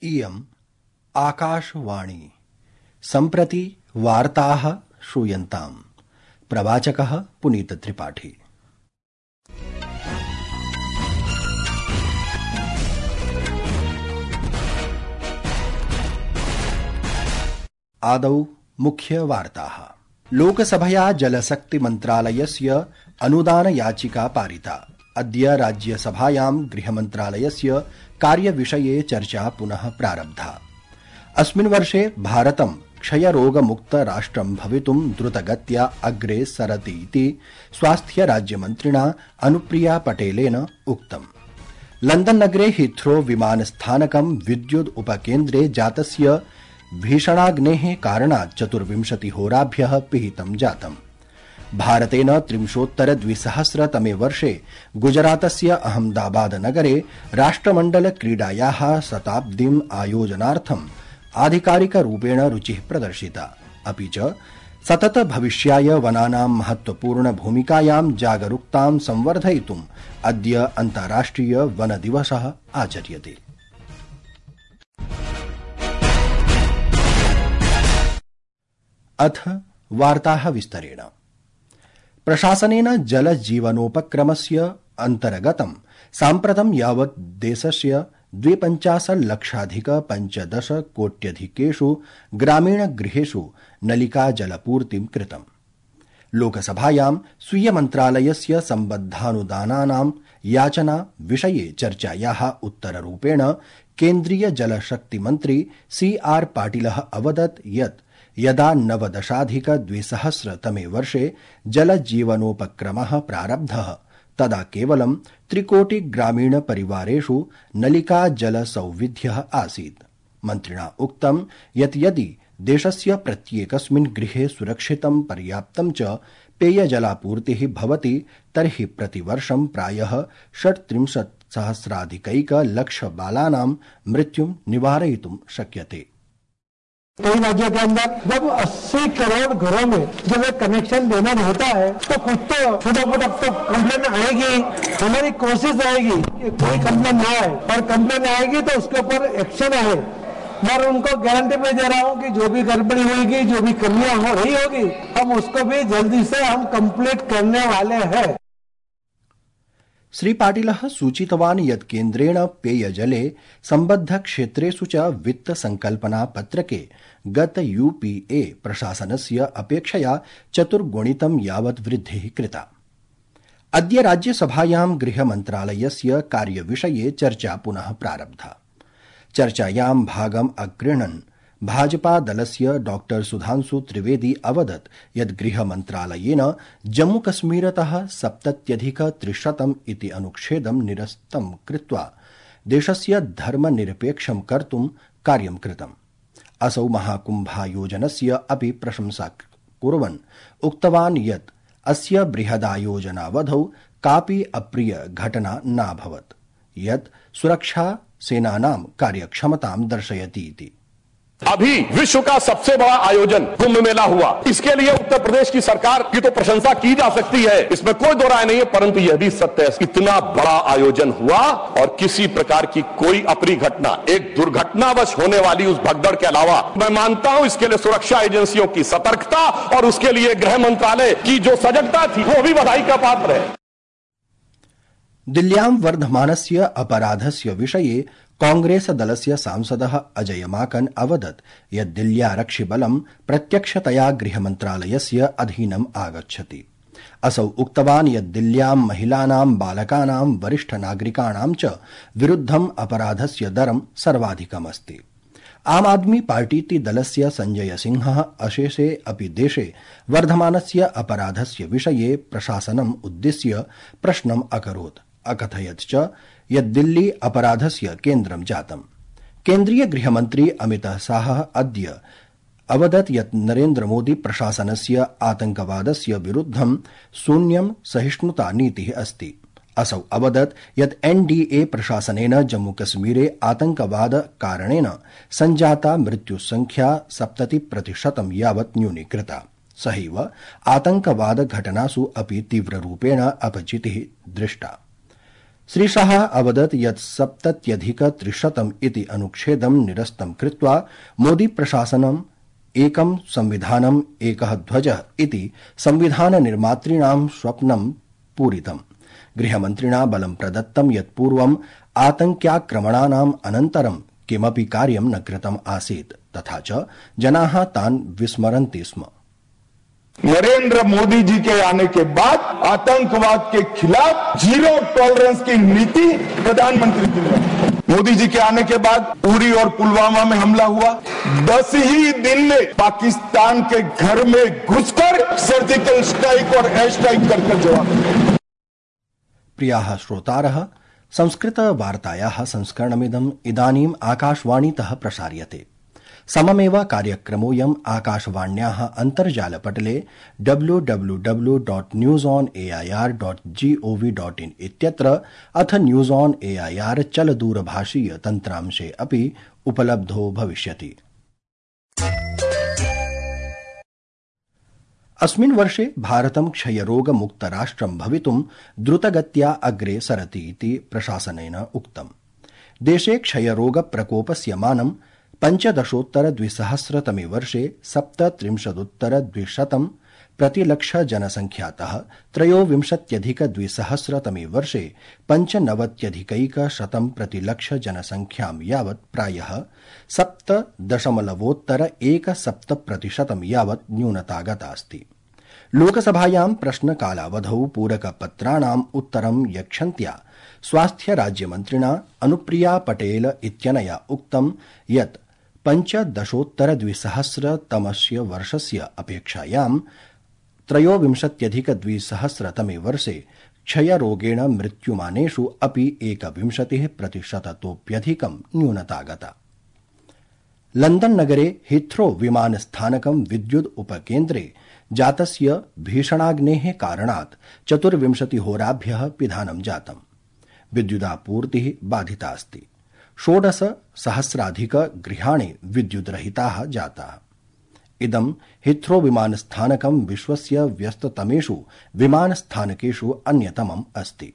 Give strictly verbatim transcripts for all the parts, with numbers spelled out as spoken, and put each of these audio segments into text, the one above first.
इयम् आकाशवाणी सम्प्रति वार्ताः श्रूयन्ताम्। प्रवाचकः पुनीत त्रिपाठी। आदौ मुख्य वार्ताः। लोकसभया जलशक्ति मन्त्रालयस्य अनुदान याचिका पारिता। अद्य राज्यसभायां गृहमन्त्रालयस्य कार्यविषये चर्चा पुनः प्रारब्धा। अस्मिन् वर्षे भारतं क्षयरोगमुक्त राष्ट्रं भवितुं द्रुतगत्या अग्रे सरति इति स्वास्थ्य राज्यमन्त्रिणा अनुप्रिया पटेलेन उक्तम्। लण्डन् नगरे हीथ्रो विमानस्थानकं विद्युद् उपकेन्द्रे जातस्य भीषणाग्नेः कारणात् चतुर्विंशतिहोराभ्यः पिहितं जातम्। भारतेन त्रिंशोत्तर द्विसहस्रतमे वर्षे गुजरातस्य अहमदाबाद नगरे राष्ट्रमण्डल क्रीडायाः शताब्दीम् आयोजनार्थम् आधिकारिकरूपेण रुचिः प्रदर्शिता। अपि च सतत भविष्याय वनानां महत्वपूर्ण भूमिकायां जागरूकतां संवर्धयितुम् अद्य अन्ताराष्ट्रिय वन दिवसः आचर्यते। अथ वार्ताः विस्तरेण। प्रशासनेन जल जीवनोपक्रमस्य अन्तर्गतं साम्प्रतं यावत् देशस्य द्विपञ्चाशल्लक्षाधिक पञ्चदश कोट्यधिकेषु ग्रामीणगृहेषु नलिका जलपूर्तिं कृतम्। लोकसभायां स्वीय मन्त्रालयस्य सम्बद्धानुदानानां याचना विषये चर्चायाः उत्तररूपेण केन्द्रीय जलशक्तिमन्त्री सी आर पाटिलः अवदत् यत् यदा नवदशाधिक द्विसहस्रतमे वर्षे जलजीवनोपक्रमः प्रारब्धः तदा केवलं त्रिकोटि ग्रामीण परिवारेषु नलिका जलसौविध्यः आसीत्। मन्त्रिणा उक्तं यत् यदि देशस्य प्रत्येकस्मिन् गृहे सुरक्षितं पर्याप्तं च पेयजलापूर्तिः भवति तर्हि प्रतिवर्षं प्रायः षट्त्रिंशत् सहस्राधिकैक लक्ष बालानां मृत्युं निवारयितुं शक्यते। कई राज्यों के अंदर जब अस्सी करोड़ घरों में जब एक कनेक्शन देना होता है तो कुछ तो छोटा मोटा तो कंप्लेन आएगी। हमारी कोशिश आएगी कि कोई कंप्लेन ना आए, और कंप्लेन आएगी तो उसके ऊपर एक्शन आए। मैं उनको गारंटी में दे रहा हूँ कि जो भी गड़बड़ी होगी, जो भी कमियां हो रही होगी, हम उसको भी जल्दी से हम कंप्लीट करने वाले हैं। श्री पाटिलः सूचितवान् यत् केन्द्रेण पेयजले सम्बद्ध क्षेत्रेषु च वित्त संकल्पना पत्रके गत यूपीए प्रशासनस्य अपेक्षया चतुर्गुणितं यावत् वृद्धिः कृता। अद्य राज्यसभायां गृहमन्त्रालयस्य कार्यविषये चर्चा पुनः प्रारब्धा। चर्चायां भागम् अगृह्णन् भाजपा दलस्य डॉक्टर सुधांशु त्रिवेदी अवदत् यत् गृहमन्त्रालयेन जम्मूकश्मीरतः सप्तत्यधिक त्रिशतम् इति अनुच्छेदं निरस्तं कृत्वा देशस्य धर्मनिरपेक्षं कर्तुं कार्यं कृतम्। असौ महाकुम्भायोजनस्य अपि प्रशंसा कुर्वन् उक्तवान् यत् अस्य बृहदायोजनावधौ कापि अप्रिय घटना नाभवत्, यत् सुरक्षा सेनानां कार्यक्षमतां दर्शयति इति। अभी विश्व का सबसे बड़ा आयोजन कुंभ मेला हुआ। इसके लिए उत्तर प्रदेश की सरकार की तो प्रशंसा की जा सकती है, इसमें कोई दो राय नहीं है, परंतु यह भी सत्य है इतना बड़ा आयोजन हुआ और किसी प्रकार की कोई अप्रिय घटना, एक दुर्घटनावश होने वाली उस भगदड़ के अलावा, मैं मानता हूं इसके लिए सुरक्षा एजेंसियों की सतर्कता और उसके लिए गृह मंत्रालय की जो सजगता थी वो भी बधाई का पात्र है। दिल्ल्यां वर्धमानस्य अपराधस्य विषये कांग्रेस दलस्य सांसदः अजय माकन अवदत् यत् दिल्ल्यारक्षिबलं प्रत्यक्षतया गृहमन्त्रालयस्य अधीनम् आगच्छति। असौ उक्तवान् यत् दिल्ल्यां महिलानां, बालकानां, वरिष्ठ नागरिकाणां च विरुद्धम् अपराधस्य दरं सर्वाधिकमस्ति। आम आदमी पार्टीति दलस्य संजय सिंहः अशेषे अपि देशे वर्धमानस्य अपराधस्य विषये प्रशासनम् उद्दिश्य प्रश्नम् अकरोत्। अकथयत् च यत् दिल्ली अपराधस्य केन्द्रं जातम्। केन्द्रीय गृहमन्त्री अमितः शाहः अद्य अवदत् यत् नरेन्द्रमोदी प्रशासनस्य आतंकवादस्य विरुद्धं शून्यं सहिष्णुता नीतिः अस्ति। असौ अवदत् यत् एनडीए प्रशासनेन जम्मूकश्मीरे आतंकवाद कारणेन सञ्जाता मृत्युसंख्या सप्तति प्रतिशतं यावत् न्यूनीकृता। सहैव आतंकवाद घटनासु अपि तीव्ररूपेण अपचितिः दृष्टा। श्रीशाह अवदत् यत् सप्तत्यधिक त्रिशतम् इति अनुच्छेदं निरस्तं कृत्वा मोदी प्रशासनम् एकं संविधानम् एकः ध्वजः इति संविधान निर्मातॄणां स्वप्नं पूरितम्। गृहमन्त्रिणा बलं प्रदत्तं यत् पूर्वम् आतंक्याक्रमणानाम् अनन्तरं किमपि कार्यं न कृतम् आसीत् तथा च जनाः तान् विस्मरन्ति स्म। नरेंद्र मोदी जी के आने के बाद आतंकवाद के खिलाफ जीरो टॉलरेंस की नीति प्रधानमंत्री जी ने, मोदी जी के आने के बाद उरी और पुलवामा में हमला हुआ, दस ही दिन में पाकिस्तान के घर में घुसकर सर्जिकल स्ट्राइक और एयर स्ट्राइक कर कर जवाब दिया। प्रियाः श्रोतारः, संस्कृत वार्तायाः संस्करणमिदम् इदानीम् आकाशवाणीतः प्रसार्यते। सममेव कार्यक्रमोऽयम् आकाशवाण्याः अन्तर्जालपटले W W W dot news on A I R dot G O V dot in इत्यत्र अथ news on A I R चलदूरभाषीय तन्त्रांशे अपि उपलब्धो भविष्यति। अस्मिन् वर्षे भारतं क्षयरोगमुक्तराष्ट्रं भवितुं द्रुतगत्या अग्रे सरति इति प्रशासनेन उक्तम्। देशे क्षयरोगप्रकोपस्य मानं पञ्चदशोत्तर द्विसहस्रतमे वर्षे सप्तत्रिंशदुत्तर द्विशतं प्रतिलक्ष जनसंख्यातः त्रयोविंशत्यधिक द्विसहस्रतमे वर्षे पञ्चनवत्यधिकैकशतं प्रतिलक्ष जनसंख्यां यावत् प्रायः सप्त दशमलवोत्तर एकसप्त प्रतिशतं यावत् न्यूनता गतास्ति। लोकसभायां प्रश्नकालावधौ पूरकपत्राणाम् उत्तरं यच्छन्त्या स्वास्थ्य राज्यमन्त्रिणा अनुप्रिया पटेल इत्यनया उक्तं यत् पञ्चदशोत्तर द्विसहस्रतमस्य वर्षस्य अपेक्षायां त्रयोविंशत्यधिक द्विसहस्रतमे वर्षे क्षयरोगेण मृत्युमानेषु अपि एकविंशतिः प्रतिशततोऽप्यधिकं न्यूनता गता। लंदन नगरे हीथ्रो विमानस्थानकं विद्युद् उपकेन्द्रे जातस्य भीषणाग्नेः कारणात् चतुर्विंशतिहोराभ्यः पिधानं जातम्। विद्युदापूर्तिः बाधितास्ति। षोडश सहस्राधिक गृहाणि विद्युद्रहिताः जाताः। इदं हीथ्रो विमानस्थानकं विश्वस्य व्यस्ततमेषु विमानस्थानकेषु अन्यतमम् अस्ति।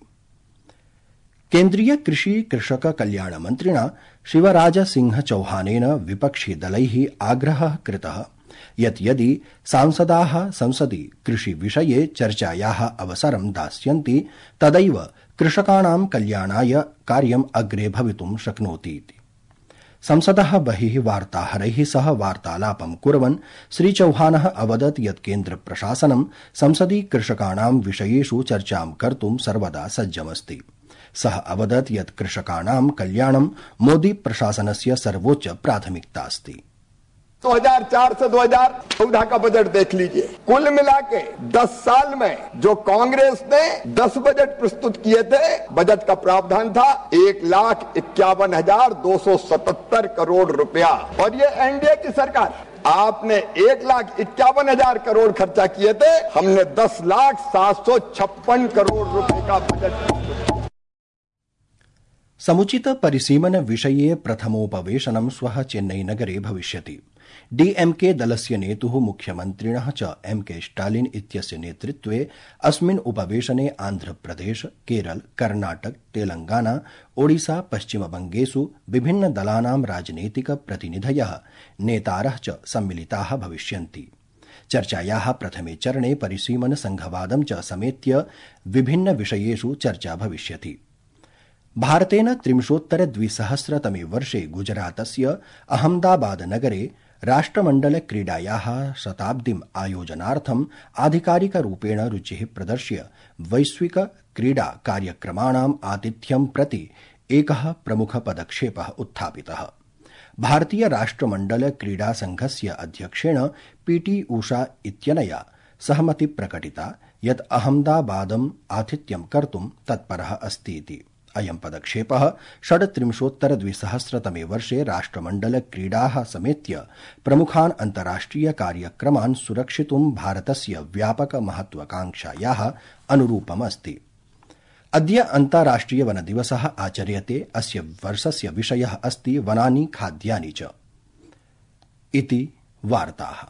केन्द्रीय कृषि कृषक कल्याण मन्त्रिणा शिवराज सिंह चौहानेन विपक्षि दलैः आग्रहः कृतः यत् यदि सांसदाः संसदि कृषि विषये चर्चायाः अवसरं दास्यन्ति तदैव कृषकाणां कल्याणाय कार्यम् अग्रे भवितुं शक्नोति इति। संसदः बहिः वार्ताहरैः सह वार्तालापं कुर्वन् श्रीचौहानः अवदत् यत् केन्द्रप्रशासनं संसदि कृषकाणां विषयेषु चर्चां कर्तुं सर्वदा सज्जमस्ति। सः अवदत् यत् कृषकाणां कल्याणं मोदी प्रशासनस्य सर्वोच्च प्राथमिकता अस्ति। दो हज़ार चार से दो हज़ार चौदह का बजट देख लीजिए, कुल मिला के दस साल में जो कांग्रेस ने दस बजट प्रस्तुत किए थे, बजट का प्रावधान था एक लाख इक्यावन हजार दो सौ सतहत्तर करोड़ रुपया, और ये एनडीए की सरकार, आपने एक लाख इक्यावन हजार करोड़ खर्चा किए थे, हमने दस लाख सात सौ छप्पन करोड़ रुपए का बजट। समुचित परिसीमन विषये प्रथमोपवेशनं श्वः चेन्नईनगरे भविष्यति। डीएमके दलस्य नेतुः मुख्यमन्त्रिणः च एमके स्टालिन इत्यस्य नेतृत्वे अस्मिन् उपवेशने आन्ध्रप्रदेश, केरल, कर्णाटक, तेलंगाना, ओडिशा, पश्चिमबंगेषु विभिन्न दलानां राजनीतिक प्रतिनिधयः नेतारः च सम्मिलिताः भविष्यन्ति। चर्चायाः प्रथमे चरणे परिसीमन संघवादं च समेत्य विभिन्न विषयेषु चर्चा भविष्यति। भारतेन त्रिंशोत्तर द्विसहस्रतमे वर्षे गुजरातस्य अहमदाबाद नगरे राष्ट्रमण्डल क्रीडायाः शताब्दीम् आयोजनार्थम् आधिकारिकरूपेण रुचिः प्रदर्श्य वैश्विक क्रीडा कार्यक्रमाणाम् आतिथ्यं प्रति एकः प्रमुख पदक्षेपः उत्थापितः। भारतीय राष्ट्रमण्डल क्रीडा संघस्य अध्यक्षेण पीटी उषा इत्यनया सहमति प्रकटिता यत् अहमदाबादम् आतिथ्यं कर्तुं तत्परः अस्ति इति। अयं पदक्षेपः षड्त्रिंशोत्तर द्विसहस्रतमे वर्षे राष्ट्रमण्डल क्रीडाः समेत्य प्रमुखान् अन्ताराष्ट्रिय कार्यक्रमान् सुरक्षितुं भारतस्य व्यापक महत्वाकांक्षायाः अनुरूपमस्ति। अद्य अन्ताराष्ट्रिय वन दिवसः आचर्यते। अस्य वर्षस्य विषयः अस्ति वनानि खाद्यानि च इति वार्ताः।